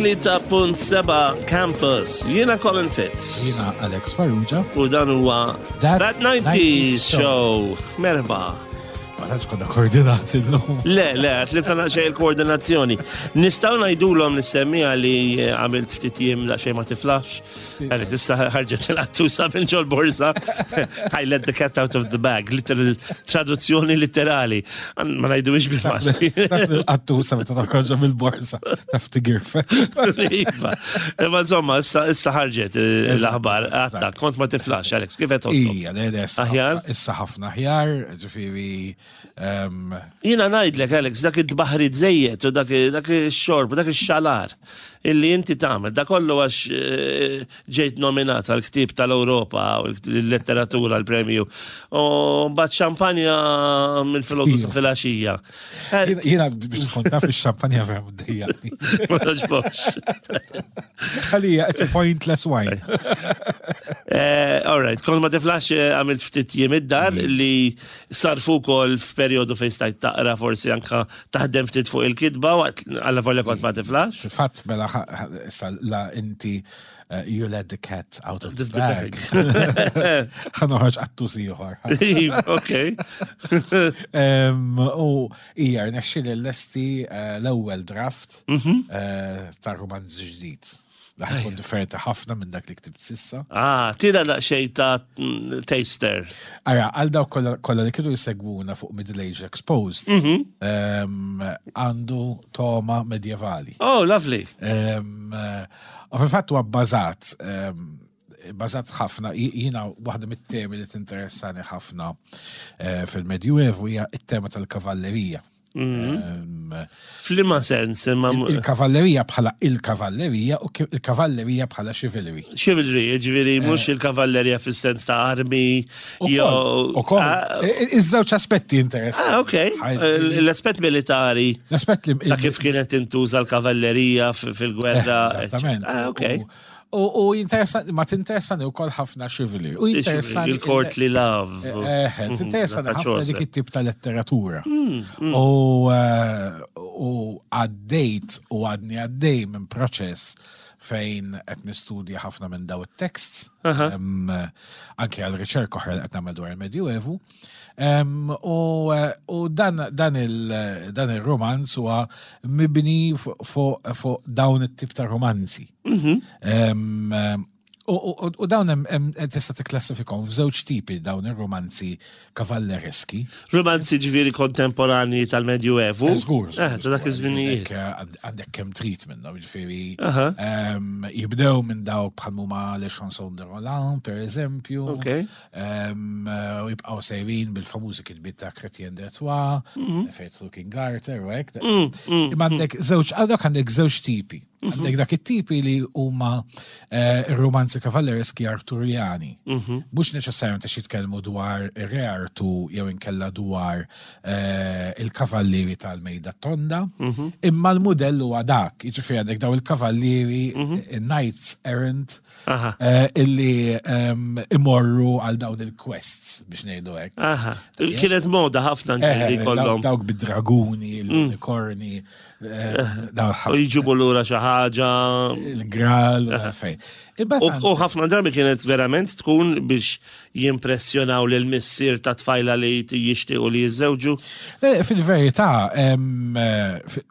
103.7 Campus. Jiena Colin Fitz. Jiena Alex Farrugia. U dan huwa That, That 90s Show. Merħba. Ma tantx konna koordinati llum. Le, le, tlifna naqxej il-koordinazzjoni. Nistgħu ngħidulhom nissemmija li għamilt ftit jiem daqsxejn ma tiflax. Għalek, issa ħarġet il-qattusa minn ġol borsa. I let the cat out of the bag. Literal, traduzzjoni literali. Ma najdu biex bil-Malti. Il-qattusa meta toħroġha mill-borsa taf tigirfe. Iva. Imma insomma, issa ħarġet eh, l-aħbar. Għatta, kont ma tiflax, Alex, kif qed Ija, le, le, aħjar. Issa ħafna aħjar, ġifieri. Ehm, Jiena ngħidlek, Alex, dak id-baħri żejjed u dak ix-xorb, dak ix-xalar illi inti tagħmel, da kollu għax eh, ġejt nominat għal ktieb tal-Ewropa u l-letteratura l-premju. U mbagħad xampanja minn filgħodu sa filgħaxija. Eh, jiena biex tkun taf ix-xampanja vera mdejjaqni. Ma togħġbokx. Għalija, it's a pointless wine. Eh, all right, kont ma tiflax għamilt ftit jiem id-dar mm. li sarfu wkoll f'perjodu fejn stajt taqra forsi anka taħdem ftit fuq il-kitba waqt alla volja kont ma tiflax. Fil-fatt mela issa la inti eh, you let the cat out of the bag. Ħa noħroġ qattus ieħor. Ok. U hija rnexxieli l-lesti eh, l-ewwel draft mhm. eh, ta' romanz ġdid. Dak ikun differenti ħafna minn dak li ktibt sissa. Ah, tira daqsxejn ta' taster. Ara, għal dawk kollha li kienu jsegwuna fuq Middle Age Exposed, mhm. ehm, għandu toma medjevali. Oh, lovely. Ehm, u fil-fatt huwa bbażat ehm, bażat ħafna, jiena waħda mit-temi li tinteressani ħafna eh, fil-Medjuevu hija t-tema tal-kavallerija. Mhm. Flima sens, imma. Il-kavallerija bħala il-kavallerija u il-kavallerija bħala chivalry. Chivalry, ġifieri eh. mhux il-kavallerija fis-sens ta' armi. Ukoll. Ah, iż-żewġ aspetti interessanti. Ah, ok. L-aspett militari. L-aspett li. Ta' kif kienet tintuża l-kavallerija fil-gwerra. Eh, eżattament. Ah, ok. U jinteressani, ma tinteressani u kol ħafna chivalry. U jinteressani. Il-courtly love. Eh, eh, eh tinteressani ħafna dik it-tip ta' letteratura. Mm, mm. U għaddejt u għadni għaddej minn proċess fejn qed nistudja ħafna minn daw it-texts, anke għal riċerka oħra li qed nagħmel dwar il-Medjuevu. U dan, dan il-romanz huwa mibni fuq dawn it-tip ta' romanzi. Mhm. U dawn tista' tikklassifikhom f'żewġ tipi dawn ir-romanzi kavallereski. Romanzi ġifieri kontemporanji tal-Medjuevu. Eh, żgur. Eh, ta' dak iż-żminijiet. Eh, għandek kemm trid minnhom, ġifieri. Jibdew minn dawk bħal huma Le Chanson de Roland, per eżempju. U jibqgħu sejrin bil-famużi kitbiet ta' Chrétien de Troyes, mhm. Faithful King Arthur u hekk. Mm, mm, Imma għandek żewġ għandek għandek żewġ tipi. Mhm. Għandek dak it-tipi li huma eh, romanzi kavallereski Arturjani. Mhm. Mhux neċessarjament għax jitkellmu dwar ir-re Artu jew inkella dwar eh, il-kavallieri tal-mejda tonda, imma l-mudell huwa dak, jiġifieri għandek daw il-kavallieri knights errant Eh, illi ehm, imorru għal dawn il-quests biex ngħidu hekk. Kienet moda ħafna eh, li kollhom. Dawk bid-draguni, mm. l-unikorni. Eh, u jġibu lura xi ħaġa. Il-gral, fejn. U ħafna drabi kienet verament tkun biex jimpressjonaw lil missier ta' tfajla li jixtiequ li jiżżewġu. Fil-verità, ehm,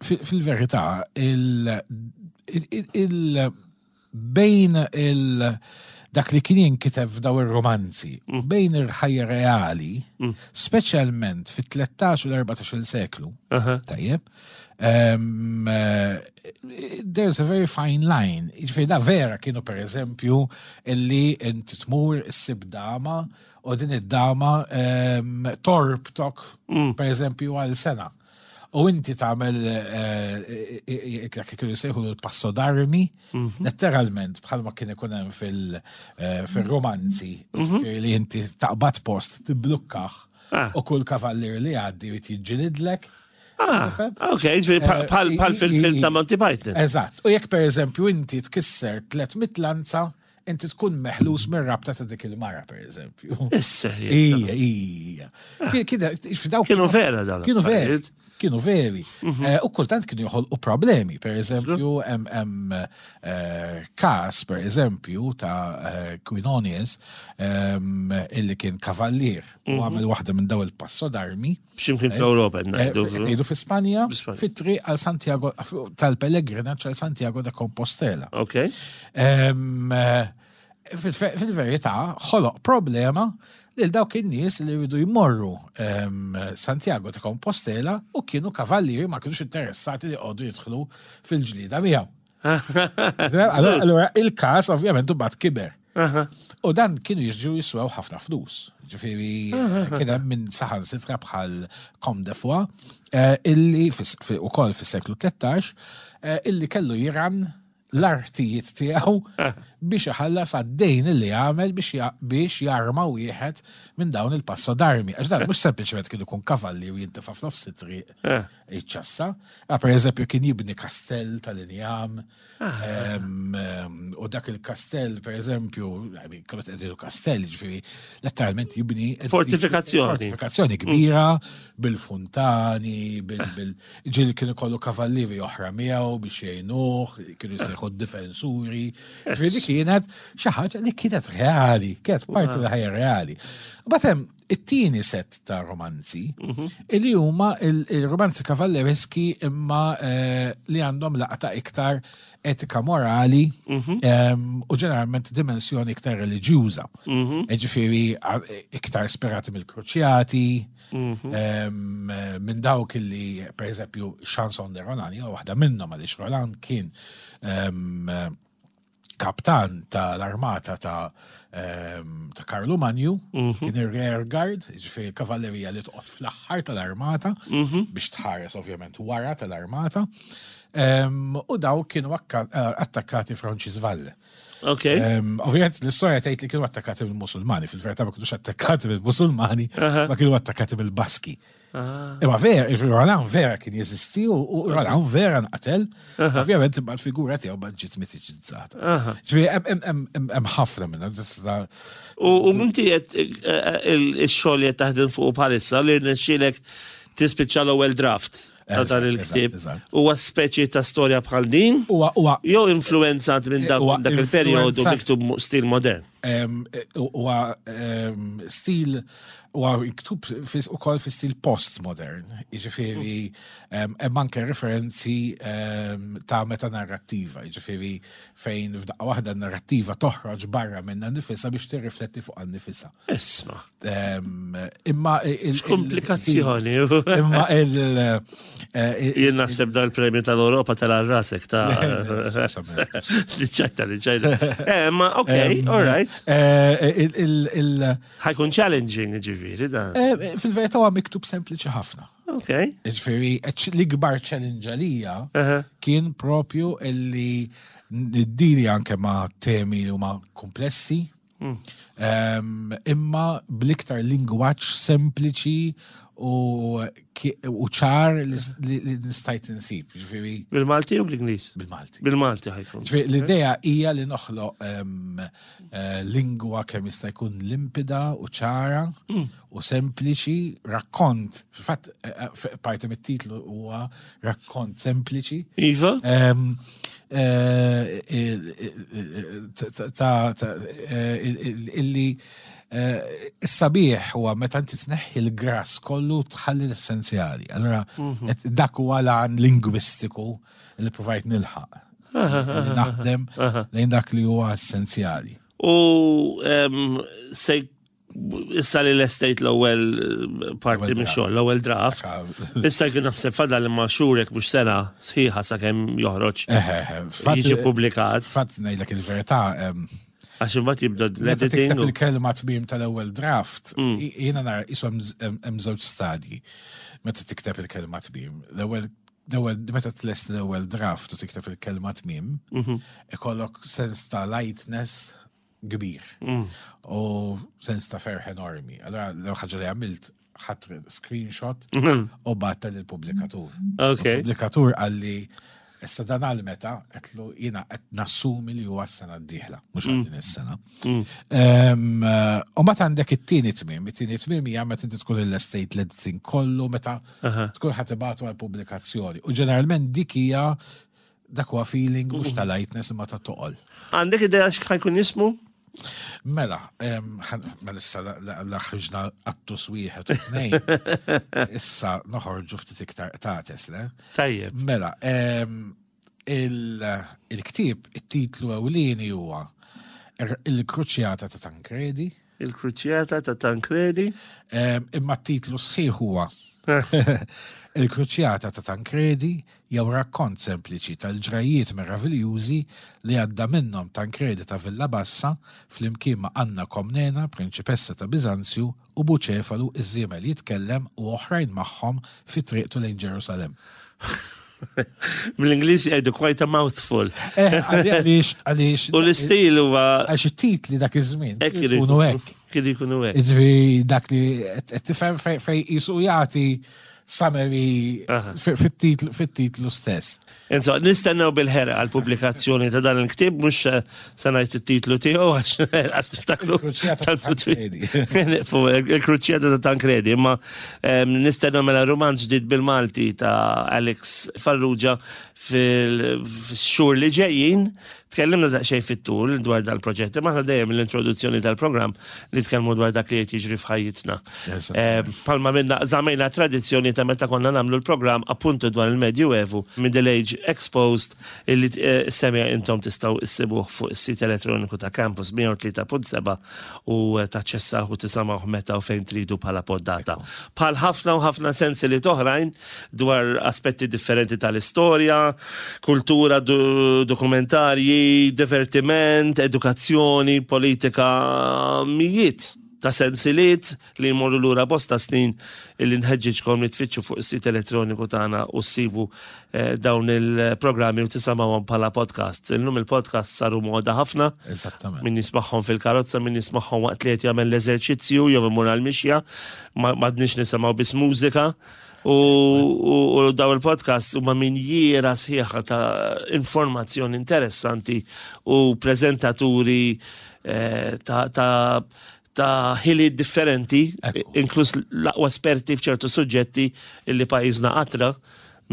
fil-verità, il- bejn il dak li kien jinkiteb f'daw ir-romanzi u mm. bejn il-ħajja reali, mm. speċjalment fit-13 u l-14 seklu, tajjeb, um, there's a very fine line. Ġifieri da vera kienu per eżempju illi inti tmur issib dama u din id-dama um, torbtok mm. per eżempju għal sena. U inti tagħmel eh, eh, eh, dak kienu jsejħu l-passo d'armi, mhm. letteralment bħalma kien ikun hemm fil-romanzi mhm. li inti taqbad post tiblukkaħ ah. u kull kavallier li għaddi jrid jiġġilidlek. Ah, ok, ġifieri bħal fil-film ta' Monty Python. Eżatt. U jekk pereżempju inti tkisser 300 lanza, inti tkun meħlus mir-rabta ta' dik il-mara, per eżempju. Issa. Ija, ija. Kienu vera dan. Kienu vera. Kienu veri. Eh, u kultant kienu joħolqu problemi. Per eżempju, hemm eh, każ, per eżempju, ta' eh, Quinonius ehm, illi kien kavallier u mhm. għamel waħda minn daw il-passo d'armi. X'imkien fl-Ewropa ngħidu. Ngħidu fi Spanja, fit-triq għal Santiago tal-pellegrinaġġ għal Santiago de Compostela. Ok. Ehm, fil-verità ħoloq problema lil dawk in-nies li jridu jmorru ehm, Santiago ta' Compostela u kienu kavallieri ma kienux interessati li qogħdu jidħlu fil-ġlieda miegħu. Allora il-każ ovvjament imbagħad kiber. U dan kienu jiġu jiswew ħafna flus. Ġifieri kien hemm minn saħan sitra bħal Com de Foix eh, illi ukoll fis-seklu 13 eh, illi kellu jiran l-artijiet tiegħu biex iħallas għad-dejn li għamel biex jarma wieħed minn dawn il-passo d'armi. Għax dan mhux sempliċement kien ikun kavalli u jintefa' f'nofs it-triq eh. iċċassa. Ah, per eżempju kien jibni kastell tal-injam ah. u dak il-kastell per eżempju, kemm qed kastell, ġifieri letteralment jibni fortifikazzjoni. Fortifikazzjoni kbira bil-funtani, bil Ġieli kien ikollu kavallieri oħra miegħu biex jgħinuh, kienu jsejħu d-difensuri. Ġifieri kienet xi ħaġa li kienet reali, kienet parti mill-ħajja reali. Mbagħad hemm it-tieni set ta' romanzi mhm. li huma il-romanzi kavallereski imma eh, li għandhom laqta iktar etika morali mhm. u ġeneralment dimensjoni iktar reliġjuża. Mhm. Ġifieri iktar ispirati mill-kruċjati, Mhm. Minn dawk li, per eżempju, Chanson de Roland, jew waħda minnhom għaliex Roland kien kaptan tal-armata ta' ta' Karlu Manju, mhm. kien ir-rear guard, ġifieri kavallerija li toqgħod fl-aħħar tal-armata mhm. biex tħares ovvjament wara tal-armata. U daw kienu eh, attakkati Francisvalle. Ok. Ovvijament, l-istoria tgħid li kienu attakkati mill-Musulmani, fil-verità ma kienux attakkati mill-Musulmani, ma kienu attakkati mill-Baski. Ah. Imma vera, Roland vera kien jeżisti u Roland vera nqatel, ovvjament imma l-figura tiegħu ma ġiet mitiċizzata. Ġifieri hemm ħafna minnha. U inti qed eh, eh, il-xogħol li qed taħdem fuq bħalissa li rnexxielek tispiċċa l-ewwel draft. ta' dan il-ktieb. Huwa speċi ta' storja bħal din? Huwa jew influenzat minn dak il-perjodu miktub stil modern? Huwa stil huwa miktub ukoll fi stil postmodern, jiġifieri hemm anke referenzi ta' metanarrattiva, jiġifieri fejn f'daqqa waħda n-narrattiva toħroġ barra minnha nifisha biex tirrifletti fuqha nnifisha. Isma. Imma il-komplikazzjoni. Imma il- eh, Jien naħseb dal-premju tal-Europa tal-rasek ta' Liċċajta, liċċajta. Eh, ma ok, all right. Eh, Ħajkun challenging ġifieri dan. Fil-verità huwa miktub sempliċi ħafna. Ok. Ġifieri, l-ikbar challenge għalija kien propju illi niddili anke ma' temi li huma komplessi, mm. Imma bl-iktar lingwaġġ sempliċi u ċar li nistajt insib. Ġifieri. Bil-Malti u bl-Ingliż? Bil-Malti. Bil-Malti ħajkun. Ġifieri l-idea hija li noħloq eh, lingwa kemm jista' jkun limpida u ċara mm. u sempliċi, rakkont, fil-fatt eh, eh, parti mit-titlu huwa rakkont sempliċi. Iva? Eh, ta' illi is-sabiħ huwa meta inti tneħħi l-grass kollu tħalli l-essenzjali. Allora mhm. dak huwa lan lingwistiku li provajt nilħaq. Naħdem lejn dak li huwa essenzjali. U se issa li l-estate l-ewwel eh, parti minn xogħol, l-ewwel draft. Issa kien naħseb fadal imma xurek mhux sena sħiħa sakemm joħroġ. Jiġi publikat. Fatt ngħidlek il-verità. Għax imbagħad jibda l-editing. Il-kelma tmiem tal-ewwel draft, mm. jiena nara ishom hemm żewġ stadji meta tikteb il-kelma tmiem. L-ewwel l-ewwel meta tlest l-ewwel draft u tikteb il-kelma tmiem, mhm. ikollok sens ta' lightness kbir mm. u sens ta' ferħ enormi. Allora l ħaġa li għamilt ħadd screenshot mm. u batta lill-pubblikatur. Okay. Il-pubblikatur għalli Issa dan għal meta għedtlu jiena qed nassumi li huwa s-sena d-dieħla, mhux għal din is-sena. U mbagħad għandek it-tieni tmiem, it-tieni tmiem hija meta inti tkun il-estate l-editing kollu meta tkun ħa tibgħatu għal pubblikazzjoni. U ġeneralment dik hija dak huwa feeling mhux ta' lightness imma ta' toqol. Għandek idea x'ħa jkun jismu? Mela, mela issa la ħriġna qattus wieħed u tnejn. Issa noħorġu ftit iktar qtates, le? Tajjeb. Mela, il-ktieb, it-titlu ewlieni huwa Il-Kruċjata ta' Tancredi. Il-Kruċjata ta' Tancredi. Imma t-titlu sħiħ huwa Il-Kruċjata ta' Tancredi jew rakkont sempliċi tal-ġrajjiet meraviljużi li għadda minnhom Tancredi ta' Villabassa flimkien ma' Anna Komnena, prinċipessa ta' Biżanzju, u Buċefalu, iż-żiemel jitkellem u oħrajn magħhom fi triqtu lejn Ġerusalemm. Mill-Ingliż jgħidu quite a mouthful. Eh, għaliex, għaliex. U l-istil huwa. Għax it-titli dak iż-żmien. Ikunu hekk. Kien ikunu hekk. Jiġifieri dak li qed tifhem fejn qisu jagħti summary fit-titlu stess. Insomma, nistennew bil-ħerqa għall-pubblikazzjoni ta' dan il-ktieb, mhux se ngħid it-titlu tiegħu għax għax tiftakru. Il-Kruċjata ta' Tancredi. Il-Kruċjata ta' Tancredi, imma nistennew mela rumanz ġdid bil-Malti ta' Alex Farrugia fil-xhur li ġejjin. Tkellimna daqsxejn fit-tul dwar dal-proġett, imma aħna dejjem l-introduzzjoni tal-programm nitkellmu dwar dak li qed jiġri f'ħajjitna. Palma minna żamejna tradizzjoni ta' meta konna nagħmlu l-programm appuntu dwar il-Medjuevu, Middle Age Exposed, illi eh, semja intom tistgħu issibuh fuq is-sit elettroniku ta' Campus 103.7 u eh, taċċessaw u tisamgħuh meta u fejn tridu bħala poddata. Bħal ħafna u ħafna sensi li toħrajn dwar aspetti differenti tal-istorja, kultura, dokumentarji, divertiment, edukazzjoni, politika, mijiet ta' sensiliet li jmorru lura bosta snin illi nħeġġiġkom li tfittxu fuq is-sit elettroniku tagħna u ssibu eh, dawn il-programmi u tisamgħuhom bħala podcast. Illum il-podcast saru moda ħafna. Eżattament. Min jismagħhom fil-karozza, min jismagħhom waqt li qed jagħmel l-eżerċizzju jew imur għall-mixja, m'għadniex nisimgħu biss mużika. U, u, u daw il-podcast huma minjiera sħiħa ta' informazzjoni interessanti u preżentaturi eh, ta', ta ta' ħiliet differenti, inkluż l-aqwa esperti f'ċertu suġġetti li pajjiżna qatra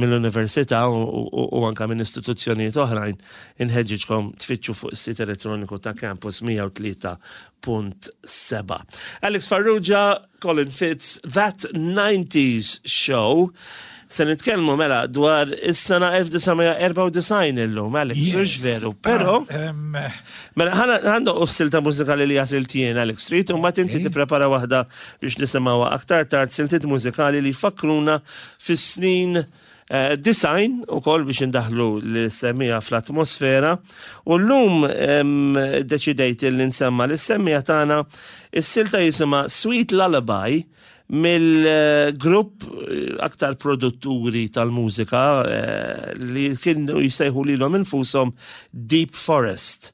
mill-università u anka minn istituzzjonijiet oħrajn, inħeġġiġkom tfittxu fuq is-sit elettroniku ta' Campus 103.7. Alex Farrugia, Colin Fitz, That 90s Show. Se nitkellmu mela dwar is-sena 1994 illum, Alex, mhux veru, però ah, mela ħandu silta mużikali li għażilt jien Alex Street u mbagħad inti tipprepara waħda biex nisimgħuha aktar tard siltiet mużikali li jfakkruna fis-snin eh, design u koll biex indaħlu l-semmija fl-atmosfera u l-lum deċidejt li nsemma l-semmija tagħna is-silta jisimha Sweet Lullaby mill-grupp eh, aktar produtturi tal-mużika eh, li kienu jisejħu lilhom infushom Deep Forest.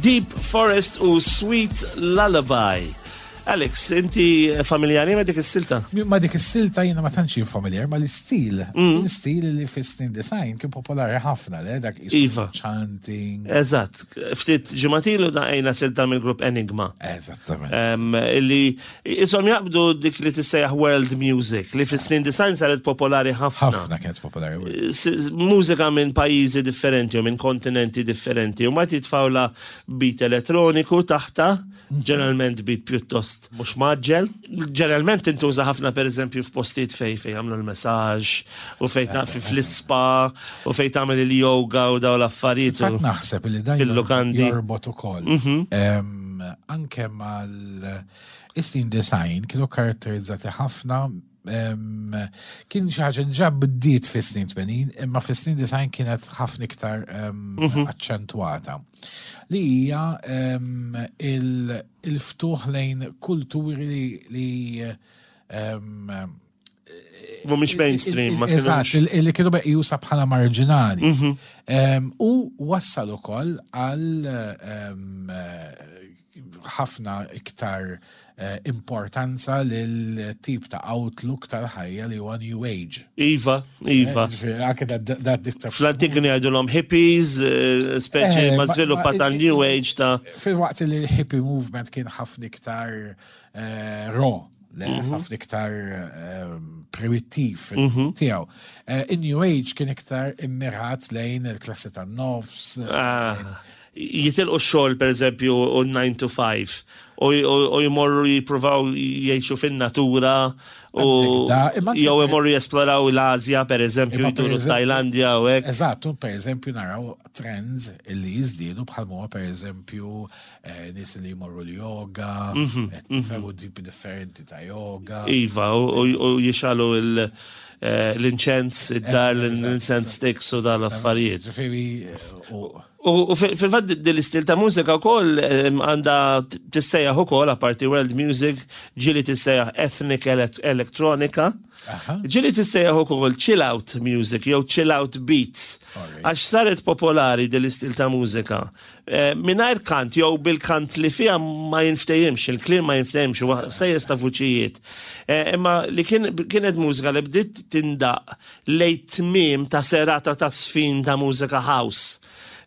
Deep Forest u Sweet Lullaby. Alex, inti familjari ma dik is-silta? Ma dik is-silta jiena ma tantx familjar ma l-istil. L-istil li fis-snin design kien popolari ħafna, le dak iva. Chanting. Eżatt. Ftit ġimatilu daqajna silta mill-grupp Enigma. Eżattament. Illi isom jaqbdu dik li tissejjaħ world music li fis-snin design saret popolari ħafna. Ħafna kienet popolari. Mużika minn pajjiżi differenti u minn kontinenti differenti u ma titfawla beat elettroniku taħta Ġeneralment bit pjuttost mhux maġġel. Ġeneralment tintuża ħafna pereżempju f'postijiet fej fej jagħmlu l-messaġġ u fej ta' fl-ispa u fej tagħmel il-yoga u daw l-affarijiet. Fatt naħseb li dan jorbot ukoll. Mhm. Anke mal isnin design kienu karatterizzati ħafna Kien xi ħaġa ġa bdiet fis-snin 80, imma fis-snin design kienet ħafna iktar mhm. aċċentwata. Li hija il-ftuħ lejn kulturi li Mhumiex mainstream, ma Eżatt, li kienu meqjusa bħala marġinali. Mhm. U wassal ukoll għal ħafna iktar eh, importanza lil tip ta' outlook tal-ħajja li huwa New Age. Iva, iva. Eh, anke da Fl-antik kienu jgħidulhom hippies, eh, speċi ma żviluppa ta' New Age ta' Fil-waqt li l-hippie movement kien ħafna iktar raw mhm. ħafna iktar primittiv mhm. tiegħu. In-New Age kien iktar immirat lejn il-klassi tan-nofs. Ah jitilqu x-xogħol pereżempju u 9 to 5 u jmorru jippruvaw jgħixu fin-natura u jew imorru jesploraw l-Asja pereżempju jduru Tajlandja u hekk. Eżatt, pereżempju naraw trends li jiżdiedu bħal huwa pereżempju eh, nies li jmorru l-yoga, mhm, mhm. tipi differenti ta' yoga. Iva, u jixalu eh, l-inċens, id-dar, eh, l-incense sticks u dal-affarijiet. U fil-fatt din l-istil ta' mużika wkoll għandha tissejjaħ ukoll apparti world music, ġieli tissejjaħ ethnic electronica, ġieli tissejjaħ ukoll chill out music jew chill out beats. Għax saret popolari din l-istil ta' mużika. Eh, mingħajr kant jew bil-kant li fiha ma jinftehimx, il-kliem ma jinftehimx, huwa sejjes ta' vuċijiet. Eh, imma li kienet mużika li bdiet tindaq lejn tmiem ta' serata ta' żfin ta' mużika house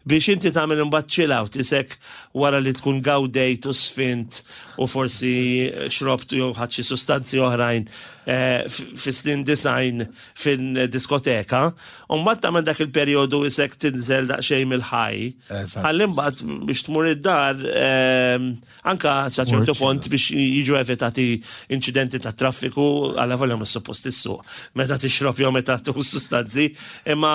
biex inti tagħmel imbagħad chill out isek wara li tkun gawdejt u sfint u forsi xrobt jew ħadd xi sustanzi oħrajn eh, fis-snin design fin-diskoteka, u mbagħad tagħmel dak il-perjodu isek tinżel daqsxejn mill-ħaj. Ħalli mbagħad biex tmur id-dar eh, Anka sa ċertu pont biex jiġu evitati inċidenti ta' traffiku għala volja mhux suppost issuq meta tixrob jew meta tuħu sustanzi, imma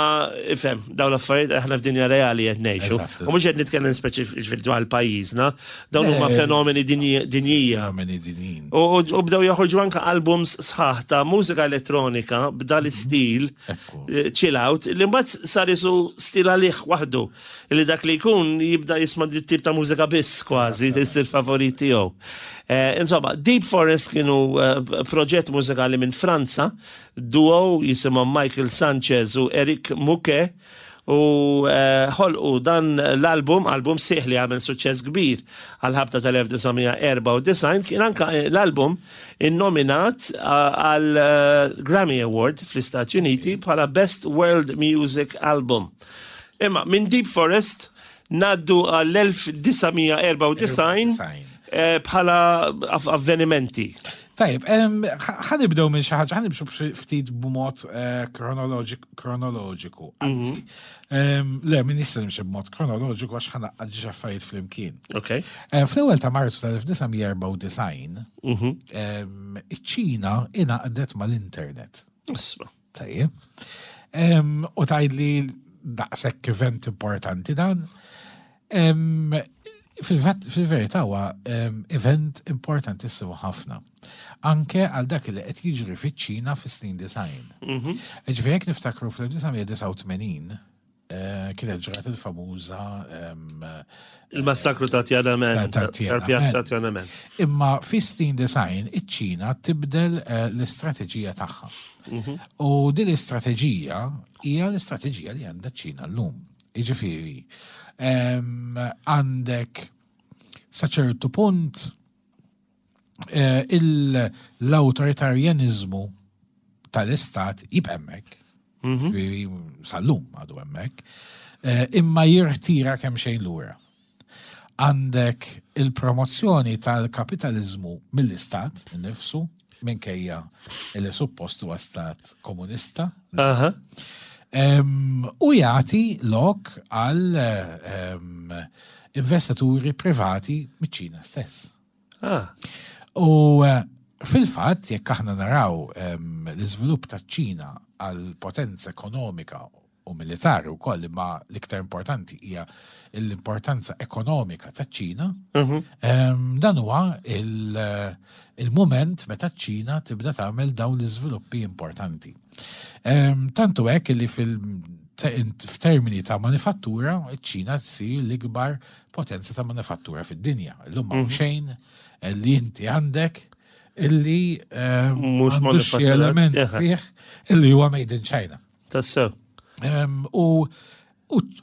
ifhem dawn l-affarijiet aħna f'dinja reali qed ngħixu. U mhux qed nitkellem speċifiċi dwar pajjiżna, dawn huma fenomeni dinjija. Fenomeni dinjin. U bdew joħorġu anka albums sħaħ ta' mużika elettronika b'dal istil eh, chill out li mbagħad sar isu stil għalih waħdu. Li dak li jkun jibda jisma' dit tip ta' mużika biss kważi, l-istil favorit tiegħu. Eh, insomma, Deep Forest kienu eh, proġett mużikali minn Franza, duo jisimhom Michael Sanchez u Eric Muke u eh, ħolqu dan l-album, album sieħ li għamel suċċess kbir għal-ħabta tal-1994, kien anka l-album innominat għal Grammy Award fl-Istati Uniti bħala Best World Music Album. Imma minn Deep Forest naddu għall-1994 eh, bħala avvenimenti. Tajib, ħanibdew minn xi ħaġa, ħanibxu ftit b'mod eh, kronoloġiku. Mhm. Anzi, le, minn nista' nimxi b'mod kronoloġiku għax ħanaqqad ġi affarijiet flimkien. Ok. Eh, fl-ewwel ta' Marzu tal-1994, mhm. iċ-Ċina ingħaqdet mal-internet. Isma. Tajjeb. U tgħidli daqshekk event importanti dan. Fil-verità huwa event importantissimu ħafna. Anke għal dak li qed jiġri fiċ-Ċina fis-snin design. Mhm. Ġifieri jekk niftakru fl-1989 Eh, kienet ġrat il-famuża Il-massakru ta' Tiananmen, tal-pjazza Tiananmen. Imma fi snin design, iċ-Ċina tibdel eh, l-istrateġija tagħha. Mhm. U din l-istrateġija hija l-istrateġija li għandha ċ-Ċina llum. Jiġifieri, għandek sa ċertu punt eh, l-awtoritarjaniżmu tal-istat jibqa' hemmhekk. Mhm. Sal-lum għadu hemmhekk. Eh, imma jirtira kemm xejn lura. Għandek il-promozzjoni tal-kapitalizmu mill-istat nifsu, minkejja li suppost huwa stat komunista. U jagħti lok għal investituri privati miċ-Ċina stess. Ah. U eh, fil-fatt, jekk aħna naraw l-iżvilupp taċ-Ċina għal potenza ekonomika u militari wkoll, imma l-iktar importanti hija l-importanza ekonomika taċ-Ċina, mhm. dan huwa il-mument meta ċ-Ċina tibda tagħmel dawn l-iżviluppi importanti. Tantu hekk li f'termini ta' manifattura, ċ-Ċina tsir l-ikbar potenza ta' manifattura fid-dinja. Illum ma' mhm. xejn li inti għandek illi mhux xi element fih illi huwa made in China. Tassew.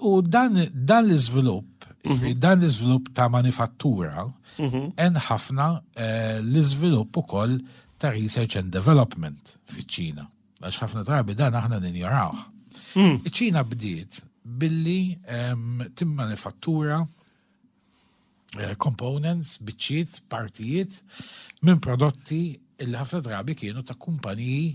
U dan l-iżvilupp, mhm. dan l-iżvilupp ta' manifattura, mhm. en ħafna eh, l-iżvilupp ukoll ta' research and development fiċ-Ċina. Għax ħafna drabi dan aħna ninjorawh. Mm. Iċ-Ċina bdiet billi timmanifattura eh, components, biċċiet, partijiet minn prodotti li ħafna drabi kienu ta' kumpaniji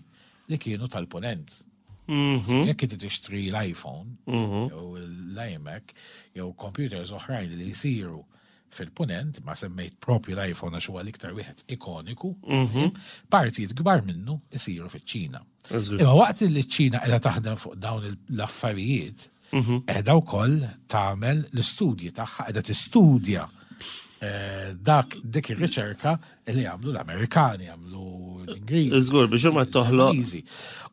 li kienu tal-ponent. Mhm. Jekk inti tixtri l-iPhone mhm. jew l-iMac jew computers oħrajn li jsiru fil-punent, ma semmejt propju l-iPhone għax huwa l-iktar wieħed ikoniku, mhm. partijiet kbar minnu jsiru fiċ-Ċina. Imma waqt li ċ-Ċina qiegħda taħdem fuq dawn l-affarijiet, mhm. qiegħda wkoll tagħmel l-istudji tagħha, qiegħda tistudja eh, dak dik ir-riċerka li għamlu l-Amerikani, għamlu l-Ingliżi. Żgur biex huma toħloq.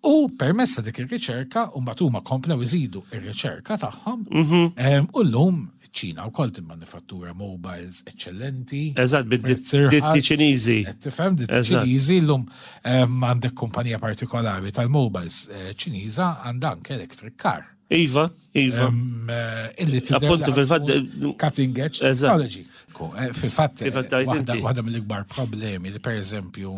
U permessa dik ir-riċerka u mbagħad huma komplew iżidu ir-riċerka tagħhom mhm. u llum ċina wkoll timmanifattura mobiles eċċellenti. Eżatt, bid-ditti Ċiniżi. Tifhem, ditti Ċiniżi llum għandek kumpanija partikolari tal-mobiles eh, Ċiniża għandha anke electric car. Iva, iva. Eh, illi Appuntu fil-fatt eh, cutting edge technology. Fil-fatt, waħda mill-ikbar problemi li per eżempju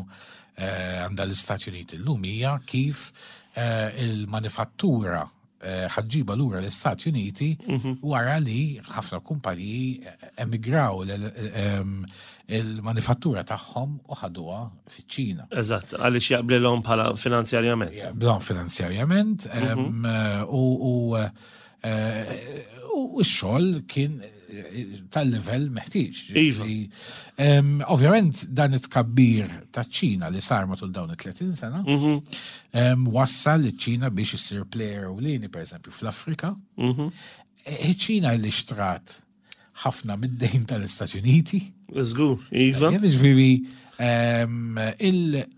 għandha l-Istati Uniti llum hija kif il-manifattura Eh, ħaġġiba lura l-Istati Uniti mhm. wara li ħafna kumpaniji eh, emigraw ehm, il-manifattura tagħhom u ħaduha fiċ-Ċina. Eżatt, għaliex jaqblilhom bħala finanzjarjament. Jaqblilhom finanzjarjament mhm. ehm, u u x-xogħol kien tal-livell meħtieġ. Iva. Ovvjament dan it-tkabbir taċ-Ċina li sar matul dawn it-30 sena mhm. wassal liċ-Ċina biex issir player ewlieni pereżempju fl-Afrika. Mhm. E, ċina li xtrat ħafna mid-dejn tal-Istati Uniti. Żgur, iva. Ġifieri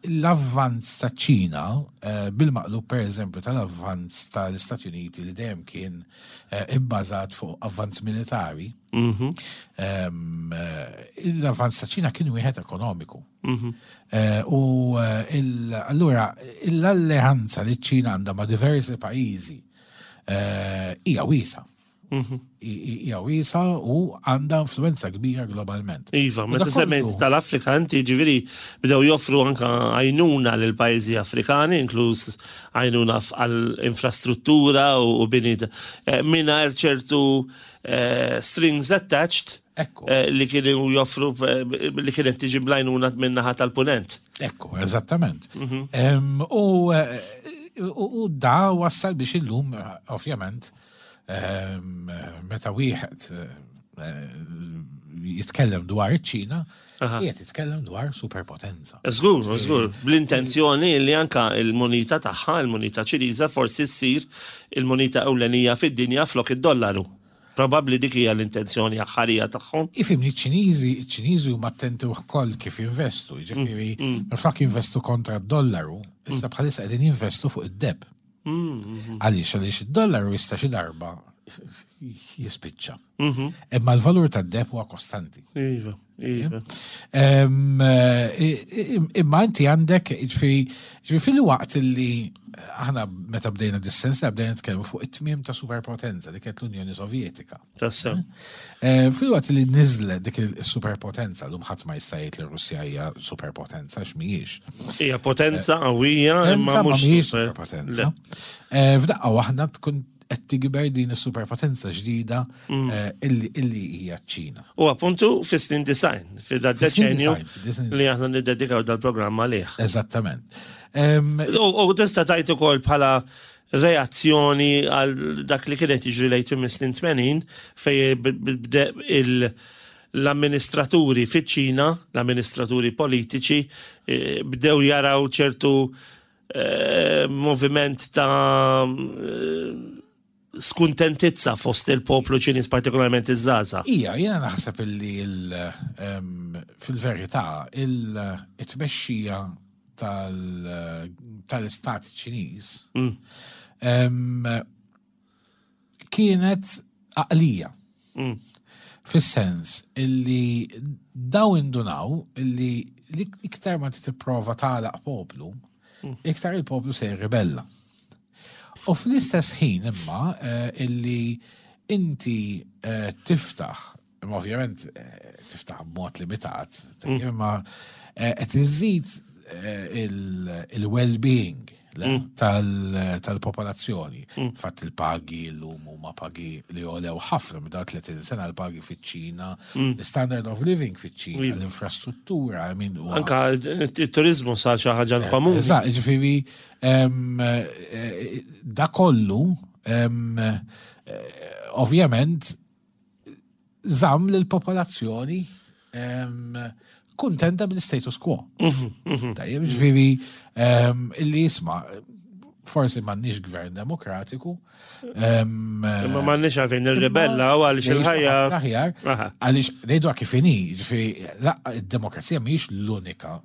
L-avvanz ta' ċina, eh, bil-maqlub per eżempju tal-avvanz tal-Istati Uniti li dejjem kien eh, ibbażat fuq avvanz militari, mhm. eh, l-avvanz ta' ċina kien wieħed ekonomiku. Mhm. U allura l-alleanza li ċina għandha ma' diversi pajjiżi hija wiesa. Mhm. Hija wiesa u għandha influenza kbira globalment. Iva, meta semmejt tal-Afrika inti ġifieri bdew joffru anka għajnuna lil pajjiżi Afrikani, inkluż għajnuna għall-infrastruttura u bini eh, mingħajr ċertu eh, strings attached eh, li kienu joffru li kienet tiġi blajnuna min-naħa tal-punent. Ekku, eżattament. Mhm. U da wassal biex illum, ovvjament, Ehm, meta wieħed eh, jitkellem dwar iċ-Ċina, qiegħed jitkellem dwar superpotenza. Żgur, żgur, bl-intenzjoni li anka il-munita tagħha, il-munita Ċiniża forsi ssir il-munita ewlenija fid-dinja flok id-dollaru. Probabbli dik hija l-intenzjoni aħħarija tagħhom. Ifhimni ċ-Ċiniżi, iċ-Ċiniżi huma attenti wkoll kif jinvestu, jiġifieri mm, mm. minflok jinvestu kontra d-dollaru, issa mm. bħalissa qegħdin jinvestu fuq id-deb. Għaliex għaliex id-dollaru jista' xi darba. jispiċċa. Imma l-valur tad-deheb huwa kostanti. Iva, iva. Imma inti għandek, ġifieri fil-waqt li aħna meta bdejna dis-sens bdejna nitkellmu fuq it-tmiem ta' superpotenza li kienet l-Unjoni Sovjetika. Tassew. Fil-waqt li niżlet dik il-superpotenza, l-lum ħadd ma jista' jgħid li Russja hija superpotenza x'mhijiex. Hija potenza qawwija imma mhux superpotenza. F'daqqa waħda tkun qed tikber din is-superpotenza ġdida mm. eh, illi hija ċ-Ċina. U appuntu fis-snin design, fid deċenju li aħna niddedikaw dal-programm għalih. Eżattament. U tista' tajt ukoll bħala reazzjoni għal dak li kienet jiġri lejt minn snin 80 fej il- l-amministraturi fiċ-Ċina, l-amministraturi politiċi, eh, bdew jaraw ċertu eh, moviment ta' eh, skuntentizza fost il-poplu ċiniż partikolarment iż-żgħażagħ. Ija, jiena naħseb illi fil-verità il-tmexxija tal-istat ċiniż mm. kienet għaqlija. Mm. Fis-sens illi daw indunaw illi iktar ma tipprova tagħlaq poplu, mm. iktar il-poplu se jirribella. U fl-istess ħin imma eh, illi inti eh, tiftaħ, imma ovvjament eh, tiftaħ b'mod limitat, mm. imma qed iżid il-well-being mm. tal-popolazzjoni. Mm. Fatt il-pagi l-lum huma pagi li jolew ħafna minn 30 sena l-pagi fiċ-Ċina, mm. l-standard of living fiċ-Ċina, l-infrastruttura, I mean, Anka il-turizmu sar xi ħaġa eh, komuni. Eżatt, ġifieri eh, da kollu eh, ovvjament żamm lill-popolazzjoni kuntenta bil-status quo. Mhm, mhm. Tajjeb, ġifieri illi jisma' forsi m'għandniex gvern demokratiku. Imma m'għandniex għalfejn nirribella u għaliex il-ħajja. Aħjar, għaliex ngħidu kif inhi, ġifieri id-demokrazija mhijiex l-unika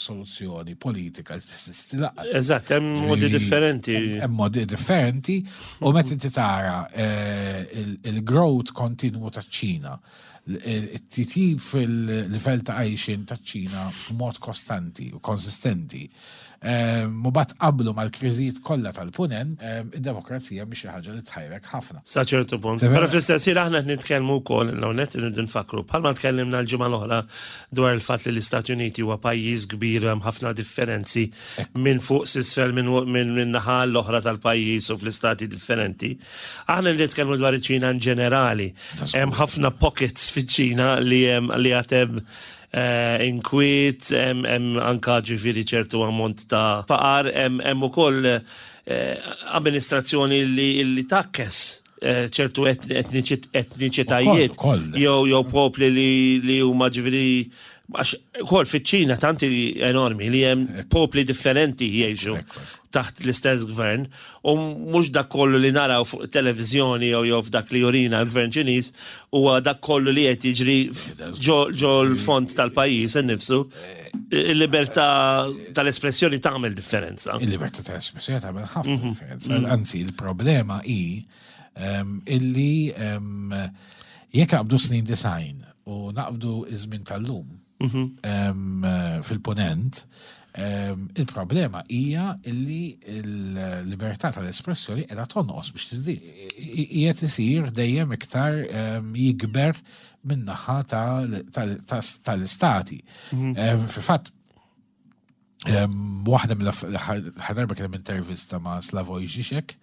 soluzzjoni politika li tesisti laqas. Eżatt, hemm modi differenti. Hemm modi differenti u meta inti tara eh, il-growth kontinwu taċ-Ċina, it-titjib fil-livell ta' għajxin taċ-Ċina b'mod kostanti u konsistenti Ehm, u bat qablu mal-kriżijiet kollha tal-punent, ehm, id-demokrazija mhix xi ħaġa li tħajrek ħafna. Sa ċertu punt. Però fl-istess ħin aħna qed nitkellmu wkoll hawnhekk irridu nfakru bħalma tkellimna l-ġimgħa l-oħra dwar il-fatt li l-Istati Uniti huwa pajjiż kbir hemm ħafna differenzi minn fuq s'isfel minn naħa l-oħra tal-pajjiż u fl-istati differenti. Aħna nitkellmu dwar iċ-Ċina in ġenerali. Hemm ħafna pockets fiċ-Ċina li hemm li għad Eh, inkwiet, hemm anka ġifieri ċertu ammont ta' faqar, hemm ukoll eh, amministrazzjoni li takkes eh, ċertu etniċitajiet jew jew popli li huma ġifieri għax kol fiċ-Ċina tanti enormi li hemm popli differenti jgħixu taħt l-istess gvern u mhux dak kollu li naraw fuq televiżjoni jew jew f'dak li jurina l-gvern Ċiniż huwa dak kollu li qed jiġri ġo l-fond tal-pajjiż innifsu. Il-libertà tal-espressjoni tagħmel differenza. Il-libertà tal-espressjoni tagħmel ħafna mhm. differenza. Mhm. Anzi, il-problema hi ehm, illi ehm, jekk naqbdu snin design u naqbdu iż-żmien tal-lum mhm. ehm, fil-ponent, Il-problema hija illi l-libertà tal-espressjoni qiegħda tonqos biex tiżdied. Qiegħed isir dejjem iktar jikber min-naħa tal-istati. Mhm. Fil-fatt, waħda mill-aħħar darba kien hemm intervista ma' Slavoj Žižek,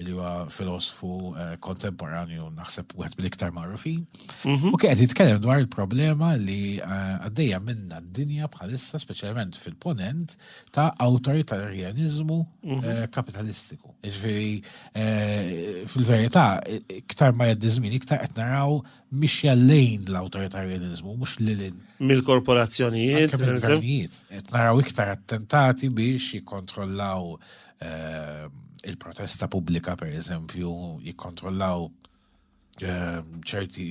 li huwa filosfu eh, kontemporanju naħseb wieħed mill-iktar magħrufin. Mhm. U kien qed jitkellem dwar il-problema li eh, għaddejja minna d-dinja bħalissa, speċjalment fil-ponent, ta' awtoritarjaniżmu mhm. eh, kapitalistiku. Ġifieri fil-verità, iktar ma jgħaddi żmien, iktar qed naraw mixja lejn l-awtoritarjaniżmu, mhux lil Mill-korporazzjonijiet. Mill-gvernijiet. Qed naraw iktar attentati biex jikkontrollaw Ehm, il-protesta pubblika per eżempju jikkontrollaw ehm, ċerti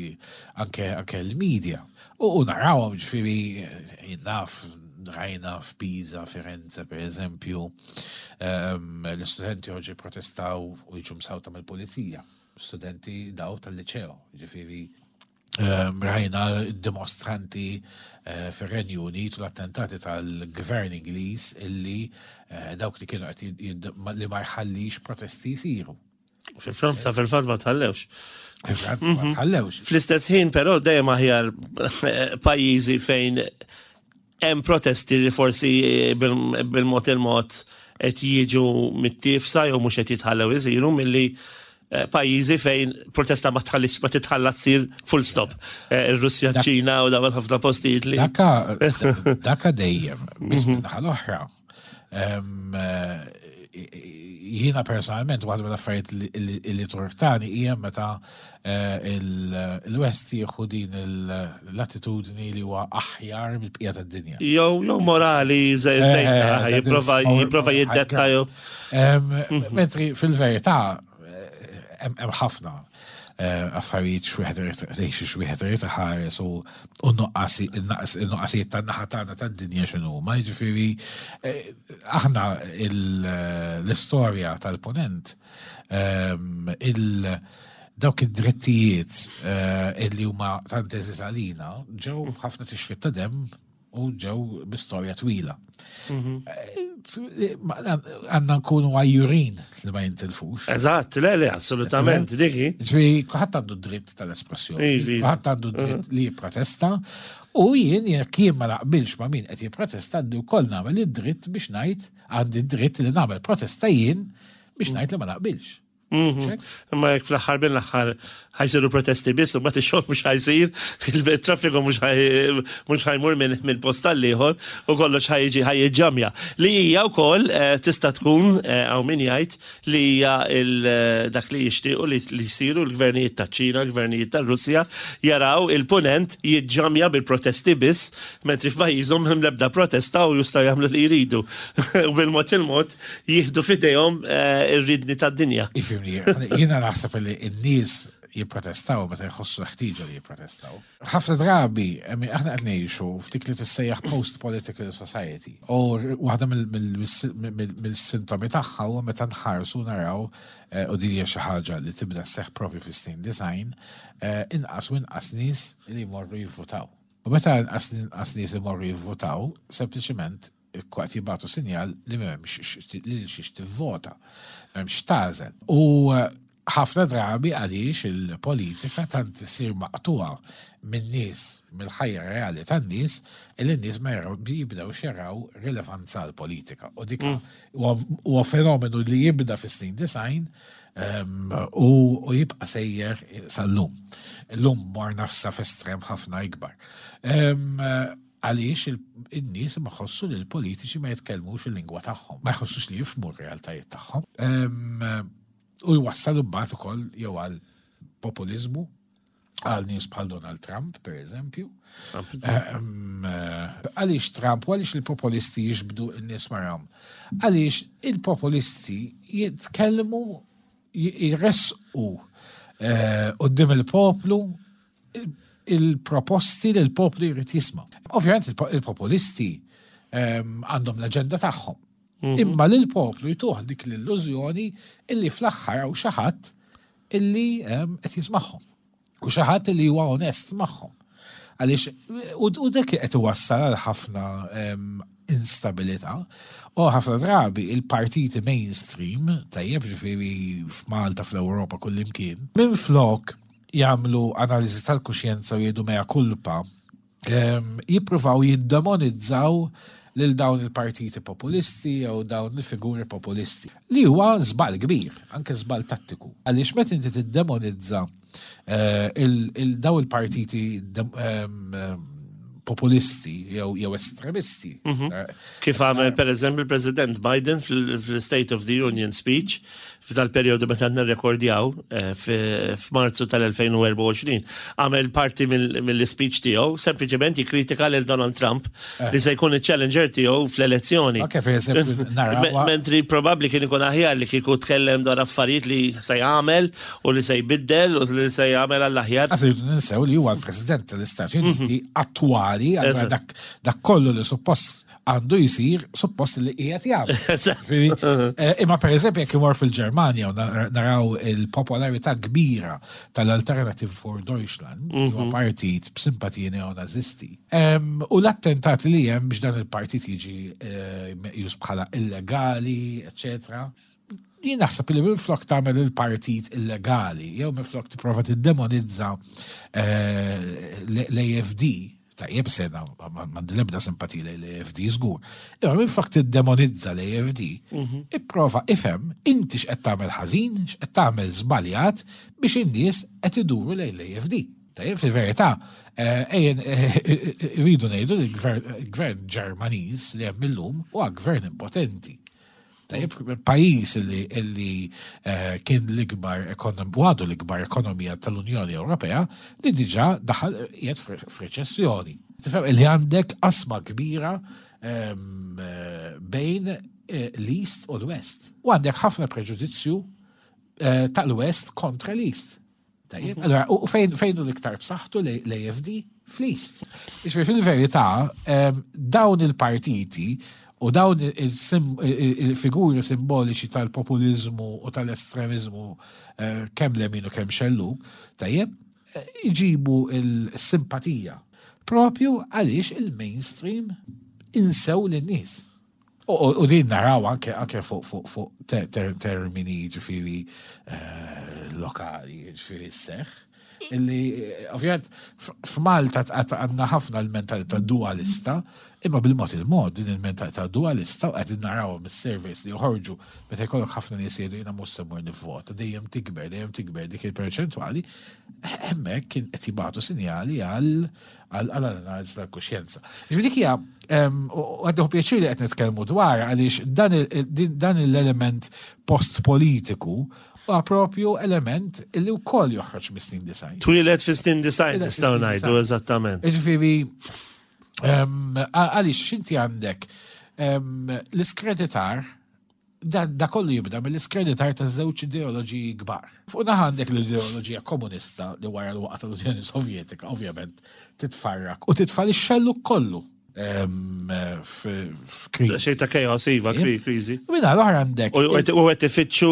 anke anke l-media. U narawhom ġifieri naf rajna f'Pisa, Firenze per eżempju, ehm, l-istudenti joġi protestaw u jiġu msawta mill-pulizija. studenti daw tal-liċeo, ġifieri rajna dimostranti eh, fir-Renju Unit u l-attentati tal-gvern Ingliż illi eh, dawk li kienu qed li ma jħallix protesti jsiru. Fi Franza fil-fatt ma tħallewx. Fi Franza ma mhm. tħallewx. Fl-istess ħin però dejjem aħjar eh, pajjiżi fejn hemm protesti li forsi bil-mod il-mod qed jiġu mit-tifsa jew mhux qed jitħallew isiru milli eh, pajjiżi fejn protesta ma tħallix ma titħalla ssir full stop. Eh, Ir-Russja, ċina u dawn ħafna postijiet li. Daka daka dejjem, biss mhm. minn l-oħra. Eh, jiena personalment waħda mill-affarijiet li turtani hija meta eh, il-West jieħu din l-attitudni li huwa aħjar mill-bqija tad-dinja. Jew jew morali eh, eh, jipprova jipprova jiddetta jew. Mentri fil-verità hemm ħafna affarijiet x'wieħed irid x'wieħed irid iħares u n-nuqqasijiet tan-naħa tagħna tad-dinja x'inhuma. Jiġifieri aħna l-istorja tal-punent ehm, il dawk id-drittijiet eh, illi huma tant eżiż għalina ġew ħafna tixrid ta' demm u ġew bi storja twila. Mhm. Eh, għandna nkunu għajjurin li ma jintilfux. Eżatt, le, le, assolutament, diki. Ġifieri, kulħadd għandu dritt tal-espressjoni, kulħadd għandu dritt mhm. li jipprotesta, U jien jekk jien ma naqbilx ma' min qed jipprotesta għandi wkoll nagħmel id-dritt biex ngħid għandi d-dritt li nagħmel protesta jien biex ngħid li ma naqbilx. Mhm. Imma jekk fl-aħħar mill-aħħar ħajsiru protesti biss u mbagħad ix-xogħol mhux ħajsir, il-traffiku mhux ħajmur minn post għall-ieħor u kollox ħajġi ħajġġamja. Li hija wkoll eh, tista' tkun eh, hawn min jgħid li hija dak li jixtiequ li jsiru l-gvernijiet taċ-Ċina, l-gvernijiet tar-Russja, jaraw il-Punent jiġġamja bil-protesti biss, mentri f'pajjiżhom m'hemm l-ebda protesta u jistgħu jagħmlu li jridu. U bil-mod il-mod jieħdu f'idejhom eh, ir-ridni tad-dinja. Ifhimni, jiena naħseb li n-nies jipprotestaw meta jħossu ħtieġa li jipprotestaw. Ħafna drabi, aħna qed ngħixu f'dik li tissejjaħ post-political society. U waħda mill-sintomi tagħha huwa meta nħarsu naraw eh, u din hija xi ħaġa li tibda sseħħ propju fis-snin design, eh, inqas u inqas nies li jmorru jivvutaw. U meta inqas inqas nies imorru jivvutaw, sempliċement qed jibgħatu sinjal li m'hemmx lil xiex tivvota, m'hemmx tagħżel. U eh, ħafna drabi għaliex il-politika tant issir maqtugħa min-nies, mill-ħajja reali tan-nies, illi n-nies ma jaraw jibdewx jaraw rilevanza għall-politika. U dik mm. huwa fenomenu li jibda fis-snin design ehm, u jibqa' sejjer sal-lum. Illum morna f'sa f'estrem ħafna ikbar. Ehm, Għaliex in-nies ma jħossu li l-politiċi ma jitkellmux il-lingwa tagħhom, ma jħossux li jifhmu r-realtajiet tagħhom. Ehm, u jwassal imbagħad ukoll jew għal populiżmu għal nies bħal Donald Trump, per eżempju. Ehm, eh, għaliex Trump u għaliex il-populisti jiġbdu n-nies marhom? Għaliex il-populisti jitkellmu jressqu eh, qudiem il-poplu il-proposti li l-poplu jrid jisma'. Ovvjament il-populisti ehm, għandhom l-aġenda tagħhom. Mhm. Imma lil poplu jtuħ dik l-illużjoni illi fl-aħħar hawn xi ħadd illi ehm, qed jismagħhom. U xi ħadd illi huwa onest magħhom. Għaliex u dak qed iwassal għal ħafna ehm, instabilità. U ħafna drabi il-partiti mainstream, tajjeb ġifieri f'Malta, fl-Ewropa, kullimkien, minflok jagħmlu analiżi tal-kuxjenza u jgħidu mea culpa, ehm, jippruvaw jiddemonizzaw lil dawn il-partiti populisti jew dawn il-figuri populisti. Li huwa żball kbir, anke żball tattiku. Għaliex meta inti tiddemonizza eh, il-daw il-partiti ehm, populisti jew jew estremisti. Mhm. Eh, Kif għamel per eżempju il-President Biden fil-State of the Union speech f'dal-perjodu meta nirrekordjaw eh, f'Marzu tal-2024 għamel parti mill-speech tiegħu sempliċement jikkritika lil Donald Trump eh. li se jkun il-challenger tiegħu fl-elezzjoni. Mentri probabbli kien ikun aħjar li kieku tkellem dwar affarijiet li se jagħmel u li se jbiddel u li se jagħmel għall-aħjar. Għas irridu ninsew li huwa l-President tal-Istati Uniti mhm. attwali, allura dak kollu li suppost għandu jsir suppost li qiegħed jagħmel. Eh, imma pereżempju jekk imur fil-Ġermanja u naraw il-popolarità kbira tal-Alternative for Deutschland, mhm. huwa partit b'simpatiji neonazisti. U l-attentati li hemm biex dan il-partit jiġi eh, meqjus bħala illegali, eccetera. Jien naħseb li minflok tagħmel il-partit illegali, jew minflok tipprova tiddemonizza eh, l-AFD, tajjeb sena m'għandi l-ebda simpatija lejn l-AFD żgur. Imma minflok tiddemonizza l-AFD, mhm. ipprova ifhem inti x'qed tagħmel ħażin, x'qed tagħmel żbaljat biex in-nies qed iduru lejn l-AFD. Tajjeb fil-verità, eh, ejjen eh, rridu ngħidu li l-gvern Ġermaniż li hemm illum huwa gvern impotenti. Tajjeb, pajjiż li, li eh, kien l-ikbar u għadu l-ikbar ekonomija tal-Unjoni Ewropea li diġà daħal qiegħed f'reċessjoni. Tifhem li għandek qasma kbira ehm, eh, bejn eh, l-East u l-West. U għandek ħafna preġudizzju tal-West kontra l-East. Tajjeb, mhm. allora, u fejn fejn l-iktar b'saħħtu l-AFD? Fl-East. Ġifieri fil-verità, ehm, dawn il-partiti u dawn il-figuri simboliċi tal-populizmu u tal-estremizmu eh, kemm lemin u kemm xellu, tajjeb, eh, iġibu il-simpatija propju għaliex il-mainstream insew lin-nies. U din naraw anke anke fuq fuq fuq termini ġifieri eh, lokali, ġifieri seħ. Illi eh, ovvjament f'Malta għandna ħafna l-mentalità dualista, imma bil-mod il-mod din il-mentalità dualista u qed naraw mis-surveys li joħorġu meta jkollok ħafna nies jgħidu jiena mhux se mmur nivvota, dejjem tikber, dejjem tikber dik il-perċentwali, hemmhekk kien qed jibgħatu sinjali għal għal-analiżi tal-kuxjenza. Ġifieri dik hija u għaddu pjaċir li qed nitkellmu dwar għaliex dan l-element post-politiku huwa propju element li wkoll joħroġ mis-snin design. Twieled fi snin design nistgħu ngħidu eżattament. Ġifieri għaliex x'inti għandek l-iskreditar Da, da kollu jibda mill-iskreditar ta' żewġ ideoloġiji kbar. Fuq naħa għandek l-ideoloġija komunista li wara l-waqgħa tal-Unjoni Sovjetika ovvjament titfarrak u titfa' lix-xellug kollu f'kriżi. Xejn ta' chaos, iva, kriżi. Minna l-oħra għandek. U qed ifittxu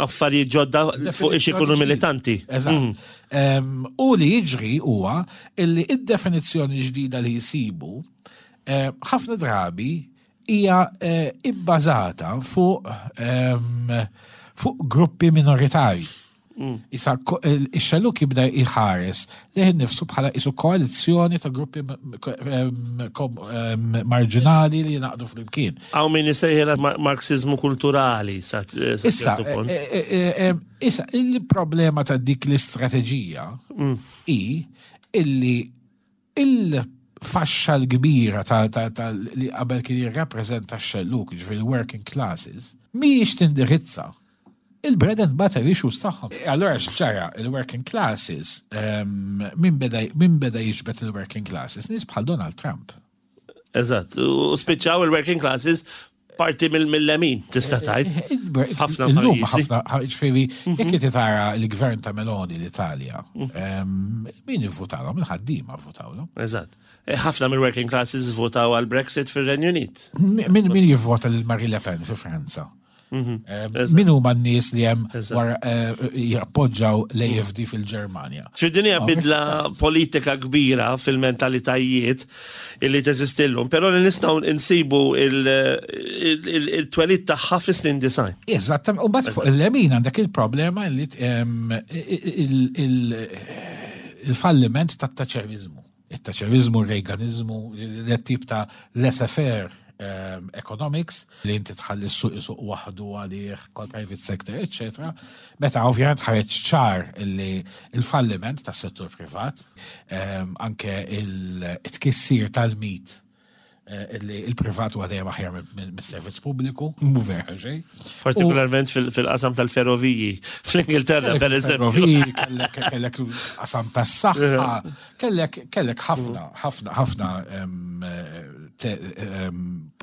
affarijiet ġodda fuq ix ikunu militanti. Eżatt. Mm. U li jiġri huwa illi id-definizzjoni ġdida li jsibu ħafna drabi hija ibbażata fuq fuq gruppi minoritarji. Mm. Issa ix-xelluk jibda jħares lejn nifsu bħala isu koalizzjoni ta' gruppi marġinali li jingħaqdu flimkien. Hawn min isejħilha Marxizmu kulturali sa Issa, e, e, e, issa il-problema ta' dik l-istrateġija mm. hi illi Il-faxxa l-kbira ta' li qabel kien jirrappreżenta x-xellug, jiġifieri l-working classes, mhijiex tindirizza il-bread and butter issues tagħhom. Allura x'ġara? Il-working classes, min beda jiġbed il-working classes? Nies bħal Donald Trump. Eżatt, u spiċċaw il-working classes parti mill-lemin, tista' tgħid. Eh, eh, ħafna pajjiżi. Ħafna, ġifieri, mhm. jekk inti tara l-gvern ta' Meloni l-Italja, mhm. min ivvutawhom, il-ħaddiema vvutawhom. Eżatt. Eh, ħafna mill-working classes votaw għal Brexit fir-Renju Unit. Min jivvota lil Marie Le Pen fi Franza? Mhm. Eh, min huma n-nies li hemm wara eh, jappoġġaw l-AFD fil-Ġermanja? Din hija bidla politika kbira fil-mentalitajiet illi teżistillhom, però li nistgħu nsibu il-twelid tagħha fi snin design. Eżatt, u mbagħad fuq il-lemin għandek il-problema li il-falliment tat-taċerizmu. it-Thatcherizmu, il-Reaganizmu, l-tip ta' laissez-faire ehm, economics li inti tħalli s-suq isuq waħdu għalih, kol private sector, etc. Meta ovvjament ħareġ ċar li il-falliment tas settur privat, ehm, anke il-tkissir tal-mit Eh, li il-privat huwa dejjem aħjar mis-servizz pubbliku, mhu vera xejn. Partikolarment fil-qasam tal-ferroviji, fl-Ingilterra per eżempju. Ferroviji, kellek qasam tas-saħħa, kellek kellek ħafna, ħafna, ħafna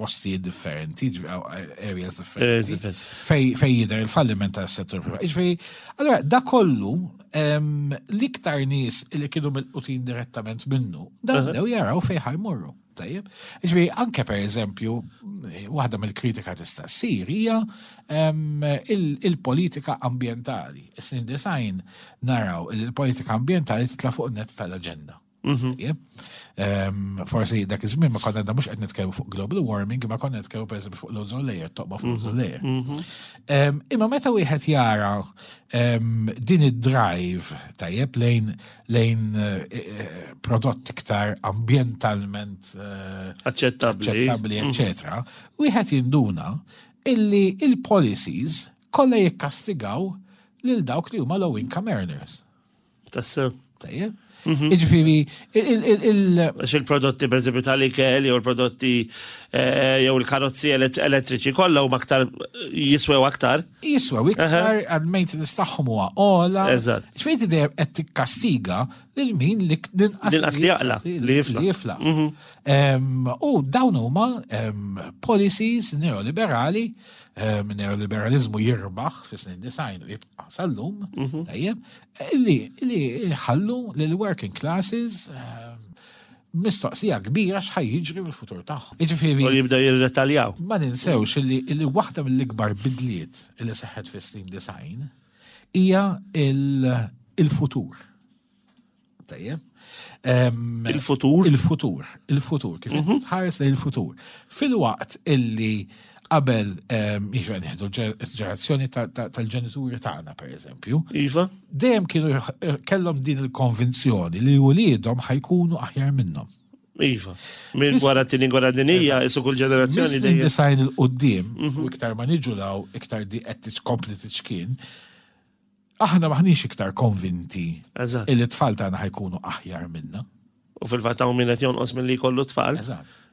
postijiet differenti, areas differenti. Fej jidher il-falliment tas-settur privat. Jiġifieri, allora da kollu l-iktar nies li kienu milqutin direttament minnu, dan bdew jaraw fejn ħajmorru. Tajjeb. Ġifieri anke per eżempju, waħda mill-kritika tista' ssir hija il-politika ambjentali. Is-snin design naraw il-politika ambjentali titla' fuq net tal-aġenda. Mhm. Forsi dak iż-żmien ma konna mhux qed nitkellmu fuq global warming, imma konna nitkellmu pereżempju fuq l-ozone layer, toqba fuq l-ozone mhm. layer. Mhm. Imma meta wieħed jara din id-drive tajjeb lejn lejn eh, eh, prodott iktar ambjentalment eh, aċċettabbli, aċċettabbli, eċetera, wieħed jinduna illi il-policies kollha jikkastigaw lil dawk li huma low income earners. Tassew. Tajjeb. Mhm. Iġifieri, il- Għax il-prodotti per eżempju tal-ikel jew il-prodotti eh, jew il-karozzi elettriċi kollha huma aktar jiswew aktar. Jiswew iktar għal maintenance tagħhom huwa ogħla. Eżatt. Ġifieri dejjem qed tikkastiga lil min li l-inqas li jaqla, li jifla. Li jifla. Mhm. U dawn huma policies neoliberali, neoliberalizmu jirbaħ fis-snin design u jibqa' sal-lum, mhm. tajjeb, Li jħallu lill-working classes mistoqsija kbira x'ħa jiġri mill-futur tagħhom. Jiġifieri. U jibdew jirretaljaw. Ma ninsewx li waħda mill-ikbar bidliet li seħħet fis-snin design hija il-futur. Tajjeb. Il-futur? Il-futur, il-futur, kif mhm. tħares lejn il-futur. Fil-waqt illi qabel jiġri nieħdu ġenerazzjoni tal-ġenituri tagħna pereżempju. Iva. Dejjem kienu kellhom din il-konvinzjoni li wliedhom ħajkunu aħjar minnhom. Iva. Minn wara t-tieni gwerra dinija, isu kull ġenerazzjoni dejjem. Design il-qudiem, mhm. u iktar ma niġu law, iktar di qed tkompli tiċkien, Aħna maħniex iktar konvinti illi t-tfal tagħna ħajkunu aħjar minna. U fil-fatt hawn min qed jonqos milli jkollu tfal.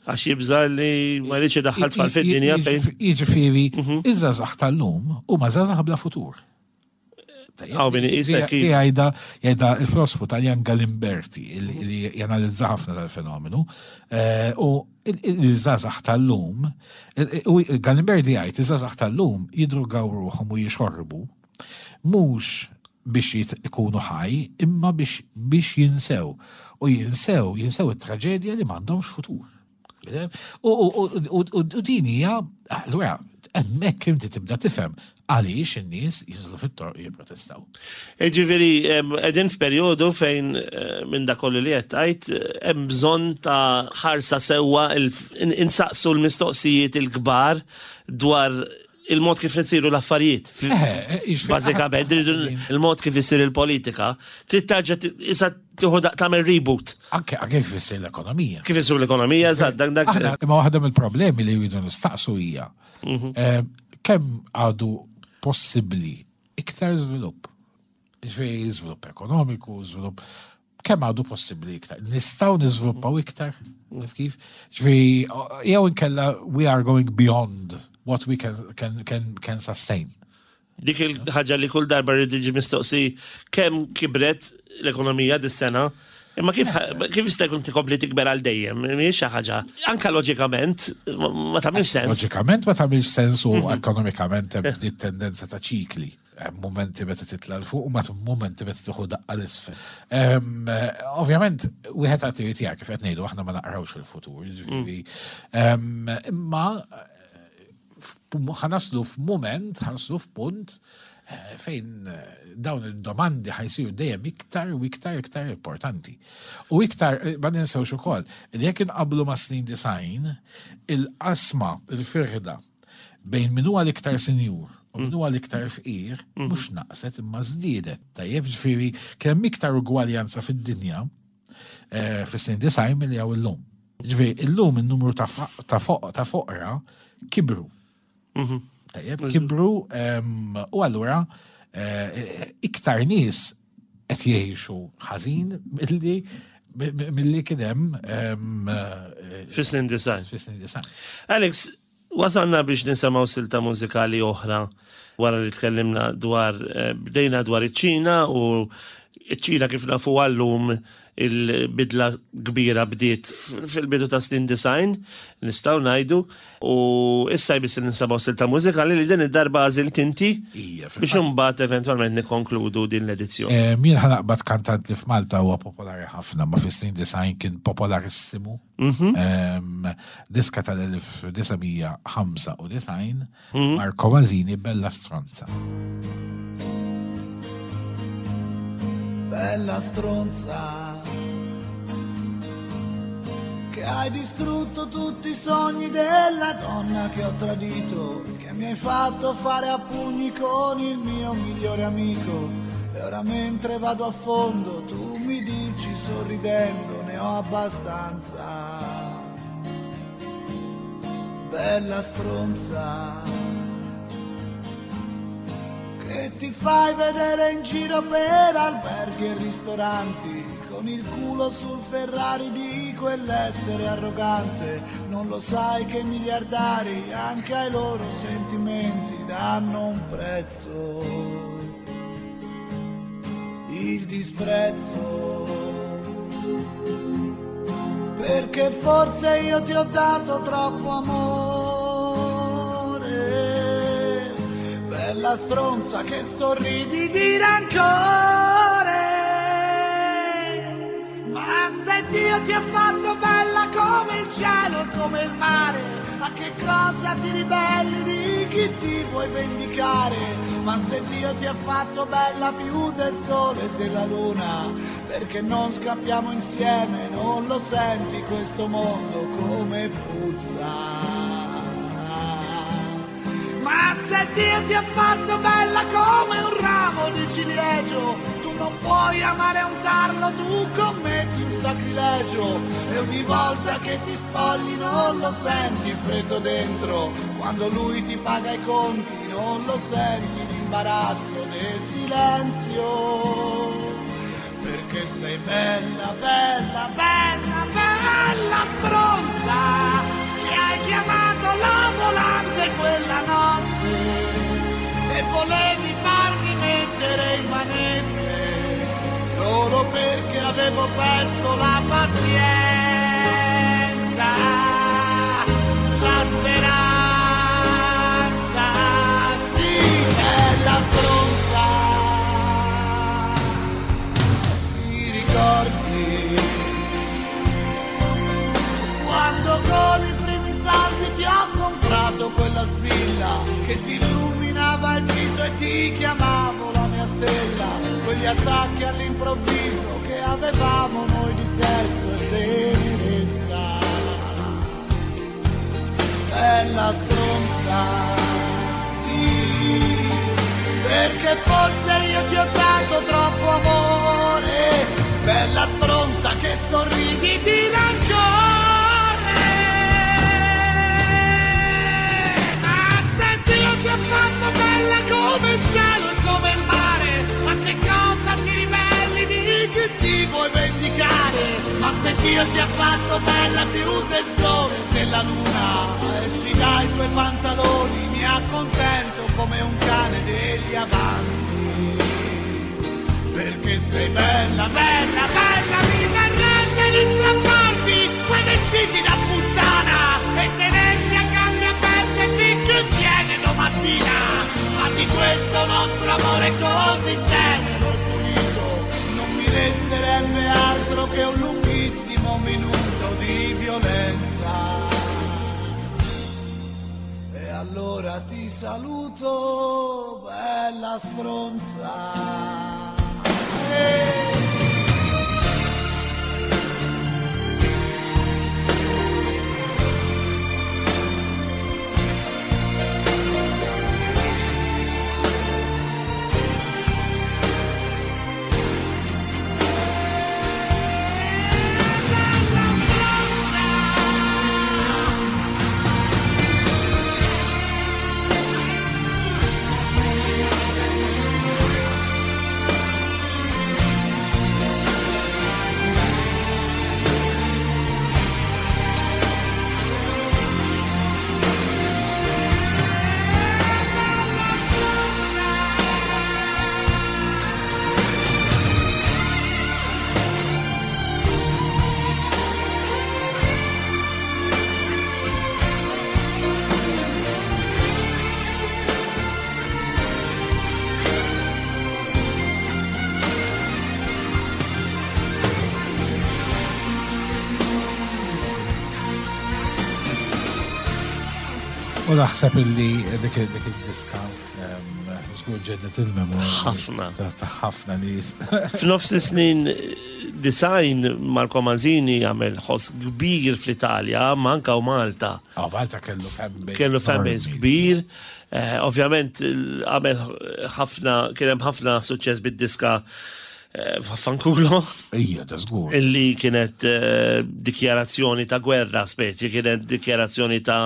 Għax jibża li ma jridx idaħħal tfal fid-dinja fejn. Jiġifieri, mhm. iż-żgħażagħ tal-lum huma żgħażagħ bla futur. Hawn min iqisek. Jgħidha jgħidha il-filosfu Taljan Galimberti li janalizza ħafna dal-fenomenu. Eh, u il-żgħażagħ tal-lum, u Galimberti jgħid iż-żgħażagħ tal-lum jidrugaw ruħhom u jixorbu Mhux biex ikunu ħaj, imma biex biex jinsew. U jinsew, jinsew it-traġedja li m'għandhomx futur. U din hija, allura, hemmhekk inti tibda tifhem għaliex in-nies jinżlu fit-toroq jipprotestaw. Ġifieri qegħdin f'perjodu fejn eh, minn dak kollu li qed tgħid hemm bżonn ta' ħarsa sewwa insaqsu l-mistoqsijiet il-kbar dwar il-mod kif nsiru l-affarijiet. Eh, Bażikament, il-mod kif isir il-politika, trid tarġa' issa tieħu tagħmel reboot. Anke anke kif isir l-ekonomija. Kif isir l-ekonomija, eżatt, dak dak. Imma waħda mill-problemi li jridu nistaqsu hija mhm. eh, kemm għadu possibbli iktar żvilupp. Ġifieri żvilupp ekonomiku, żvilupp kemm għadu possibbli iktar? Nistgħu niżviluppaw iktar? Naf kif? Ġifieri jew inkella we are going beyond what we can, can, can, can sustain. Dik il-ħaġa li kull darba rrid tiġi mistoqsi kemm kibret l-ekonomija dis-sena, imma kif kif jista' jkun tikompli tikber għal dejjem, mhijiex xi ħaġa. Anka loġikament ma tagħmilx sens. Loġikament ma tagħmilx sens u mhm. ekonomikament hemm dit tendenza ta' ċikli. Hemm mumenti meta titla' 'l fuq u mbagħad mumenti meta tieħu daqqa 'l isfel. Ovvjament, wieħed għad irid jara kif qed ngħidu aħna ma naqrawx il-futur, jiġifieri. Imma ħanaslu f'mument, ħanaslu f'punt eh, fejn eh, dawn il-domandi ħajsiru dejjem iktar u iktar iktar importanti. U iktar, eh, ma ninsewx ukoll, li jekk inqablu ma' snin design, il-qasma, il-firda bejn min huwa l-iktar sinjur u min huwa l-iktar fqir mhm. mhux naqset imma żdiedet. Tajjeb ġifieri kemm iktar ugwaljanza fid-dinja eh, fis-snin design milli hawn illum. Ġifieri illum in-numru ta' foqra kibru. Mhm. Tajjeb, kibru u allura eh, iktar nies qed jgħixu ħażin milli milli kien hemm eh, fis-snin design. Fis-snin design. Alex, wasalna biex nisimgħu silta mużikali oħra wara li tkellimna dwar eh, bdejna dwar iċ-Ċina u Iċ-Ċina kif nafu għallum il-bidla kbira bdiet fil-bidu ta' snin design, nistgħu ngħidu, u issa jmiss li nsemgħu silta mużikali li din id-darba għażilt inti biex imbagħad eventwalment nikkonkludu din l-edizzjoni. Jien ħa naqbad kantant li f'Malta huwa popolari ħafna, ma fis-snin design kien popolarissimu. Diska tal-1995, Marco Masini, Bella Stronza. Bella stronza che hai distrutto tutti i sogni della donna che ho tradito, che mi hai fatto fare a pugni con il mio migliore amico. E ora mentre vado a fondo tu mi dici sorridendo ne ho abbastanza. Bella stronza che ti fai vedere in giro per alberghi e ristoranti con il culo sul Ferrari di quell'essere arrogante. Non lo sai che i miliardari anche ai loro sentimenti danno un prezzo, il disprezzo. Perché forse io ti ho dato troppo amore, bella stronza che sorridi di rancore. Ma se Dio ti ha fatto bella come il cielo e come il mare, a che cosa ti ribelli, di chi ti vuoi vendicare? Ma se Dio ti ha fatto bella più del sole e della luna, perché non scappiamo insieme? Non lo senti questo mondo come puzza? Ma se Dio ti ha fatto bella come un ramo di ciliegio, tu non puoi amare un tarlo, tu commetti un sacrilegio. E ogni volta che ti spogli non lo senti freddo dentro, quando lui ti paga i conti non lo senti l'imbarazzo del silenzio. Perché sei bella, bella, bella, bella stronza che hai chiamato la volante quella notte e volevi farmi mettere in manette solo perché avevo perso la pazienza, la speranza, sì, bella stronza. Ti ricordi quando con i primi saldi ti ho comprato quella spilla che ti illuminava il viso e ti chiamavo la mia stella, quegli attacchi all'improvviso che avevamo noi di sesso e tenerezza. Bella stronza, sì, perché forse io ti ho dato troppo amore, bella stronza che sorridi di rancore. Ma se Dio ti ha fatto bella come il cielo e come il mare, ma che cosa ti ribelli, di chi ti vuoi vendicare? Ma se Dio ti ha fatto bella più del sole e della luna, esci dai tuoi pantaloni, mi accontento come un cane degli avanzi. Perché sei bella, bella, bella, mi verrebbe di strapparti quei vestiti da puttana e tenerti a gambe aperte finché viene domattina. Ma di questo nostro amore così tenero e pulito non mi resterebbe altro che un lunghissimo minuto di violenza. E allora ti saluto, bella stronza. Hey. U naħseb illi dik id-diska żgur ġeddet il-memorja. Ħafna. Ta' ħafna nies. F'nofs is-snin design Marco Manzini għamel ħoss kbir fl-Italja, ma anka u Malta. Ah, Malta kellu fanbase. Kellu fanbase kbir. Eh, ovvjament għamel ħafna, kien hemm ħafna suċċess bid-diska eh, Vaffanculo. Ija, ta' żgur. Illi kienet eh, dikjarazzjoni ta' gwerra speċi, kienet dikjarazzjoni ta'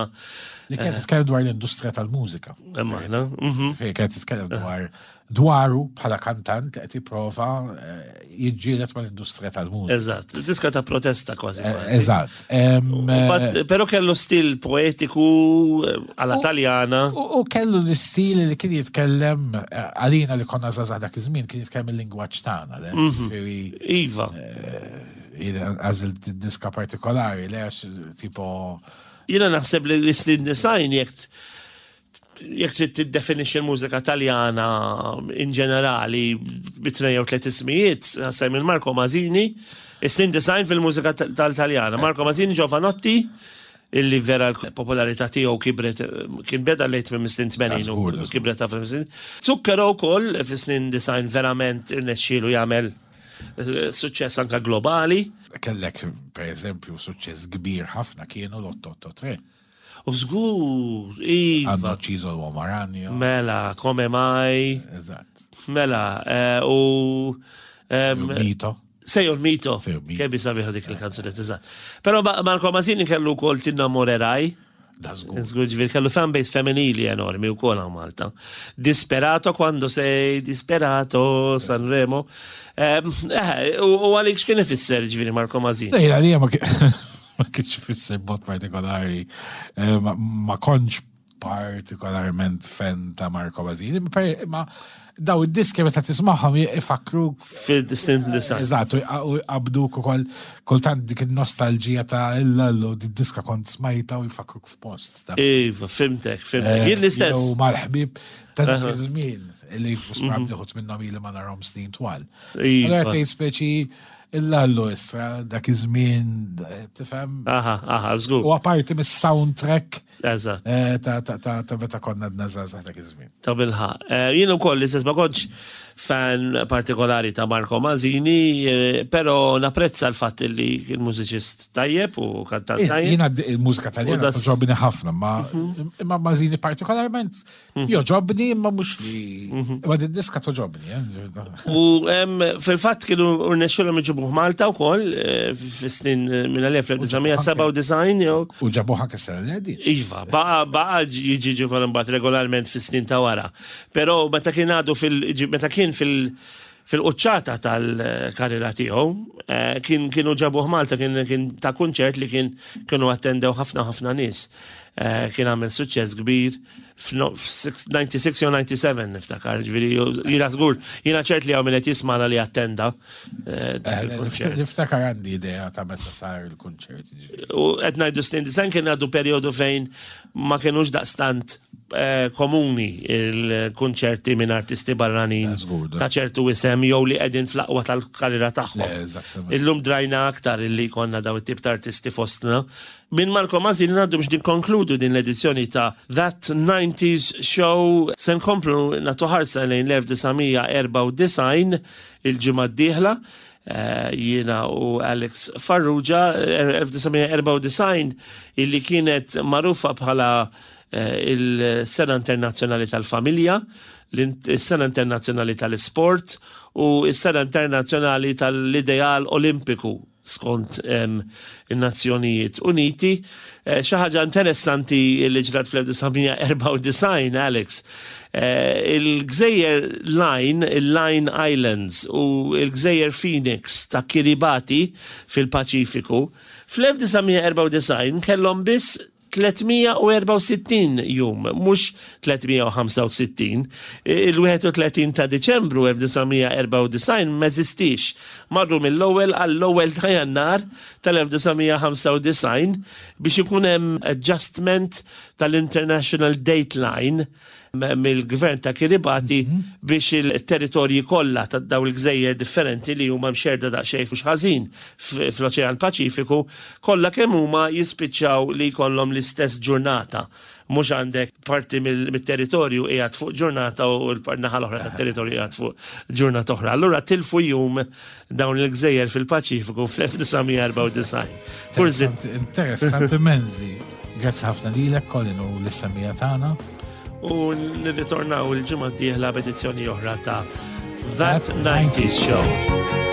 Li kienet titkellem dwar l-industrija tal-mużika. Imma, mhm. Fejn kienet titkellem dwar dwaru bħala kantant li qed jipprova eh, jiġġieled mal-industrija tal-mużika. Eżatt, diska ta' protesta kważi. Eh, eżatt. Eh, però kellu stil poetiku għala taljana. U kellu l-istil li kien jitkellem għalina li konna żgħażagħ dak iż-żmien kien jitkellem il-lingwaġġ tagħna. Mhm. Iva. Għażilt diska partikolari, le għax tipo. Jiena naħseb li l-istil design jekk jekk trid tiddefinixxi l-mużika Taljana in ġenerali bi tnejn jew tliet ismijiet, naħseb minn Marco Mazzini, is-snin design fil-mużika tal-Taljana. Marco Mazzini, Giovanotti, illi vera l-popolarità tiegħu kibret kien beda lejt minn snin 80 u kibret ta' snin. Zucchero wkoll fis-snin design verament irnexxielu jagħmel eh, suċċess anka globali. Kellek, per eżempju, suċċess kbir ħafna kienu l-883. U żgur, iva. Hanno ucciso l'uomo ragno. Mela, come mai. Eżatt. Mela, eh, u. Mito. Sei un mito. Sei un mito. Kemm sabiħa dik il-kanzunetta, eżatt. Però Marco Mazzini kellu wkoll Tinnamorerai. Da żgur. Żgur ġifieri kellu fanbase femminili enormi wkoll hawn Malta. Disperato quando sei disperato Sanremo. Eh, u għalik x'kien ifisser ġifieri Marco Mazzini? Lejla li ma ma kienx ifisser b'mod partikolari, eh, ma kontx partikolarment fan ta' Marco Basini, ma daw id-diski meta tismagħhom ifakruk fil-distinct design. Eżatt, u jqabduk ukoll kultant dik in-nostalġija ta' illallu diska kont smajta u jfakruk f'post. Iva, fimtek, fimtek. Eh, Jien l-istess. U mal-ħbib ta' dak iż-żmien li smabt liħut minnhom ili ma narhom snin twal. Iva. Allora tgħid speċi Illallu issa, dak iż-żmien, tifhem? Aha, aha, żgur. U apparti mis-soundtrack. Eżatt. Eh, ta' meta konna għadna żgħażagħ dak iż-żmien. Ta' bilħaq. Eh, jien ukoll l-istess ma kontx fan partikolari ta' Marco Manzini, eh, però napprezza l-fatt li kien mużiċist tajjeb u kantant tajjeb. Jiena il-mużika taljana toġobni ħafna, ma mhm. imma Manzini partikolarment Mhm. Joġobni imma mhux li. Mhm. Imma din diska toġobni. Eh? U fil-fatt kienu rnexxilhom iġibuh Malta wkoll eh, fis-snin eh, minn 1997 jew. U ġabuh anke sena li għaddiet. Iva, baqa baqa jiġi ġivar imbagħad regolarment fis-snin ta' wara. Però meta kien għadu fil meta kien fil fil-quċċata tal-karriera tiegħu, kien kienu ġabuh Malta kien kien ta' kunċert li kien kienu attendew ħafna ħafna nies. Kien għamel suċċess kbir f'96 jew 97 niftakar, ġifieri jiena żgur, jiena ċert li hawn min qed jismagħna li attenda. Niftakar għandi idea ta' meta sar il-kunċert. U qed ngħidu snin design kien għadu perjodu fejn ma kienux daqstant eh, komuni il-kunċerti minn artisti barranin ta' ċertu isem jew li qegħdin fl-aqwa tal-karriera tagħhom. Illum drajna aktar illi konna daw it-tip ta' artisti fostna. Minn Marco Mazzini ngħaddu biex nikkonkludu din l-edizzjoni ta' That 90s Show se nkomplu nagħtu ħarsa lejn l-1994 il-ġimgħa d-dieħla. Eh, jiena u Alex Farrugia 1994 eh, illi kienet magħrufa bħala eh, il-Sena Internazzjonali tal-Familja, il-Sena Internazzjonali tal-Isport u s-Sena Internazzjonali tal-Ideal Olimpiku skont in-Nazzjonijiet Uniti. Eh, xi ħaġa interessanti li ġrat fl-1994, Alex, eh, il-gżejjer Line, il-Line Islands u il-gżejjer Phoenix ta' Kiribati fil-Paċifiku, fl-1994 kellhom biss 364 jum, mhux 365. Il-31 ta' Diċembru 1994 m'eżistiex. Marru mill-ewwel għall-ewwel ta' Jannar tal-1995 biex ikun hemm adjustment tal-International Date Line. mill-gvern ta' Kiribati biex il-territorji kollha ta' dawn il-gżejjer differenti li huma mxerrda daqsxejn mhux ħażin fl-Oċean Paċifiku, kollha kemm huma jispiċċaw li jkollhom l-istess ġurnata. Mhux għandek parti mit-territorju qiegħed fuq ġurnata u l-naħa l-oħra tat-territorju qiegħed fuq ġurnata oħra. Allura tilfu jum dawn il-gżejjer fil-Paċifiku fl-1994. Forsi Interessanti menzi. Grazzi ħafna lilek Colin u l-issemija tagħna. U nirritornaw il-ġimgħa d-dieħla b'edizzjoni oħra ta' That 90s Show.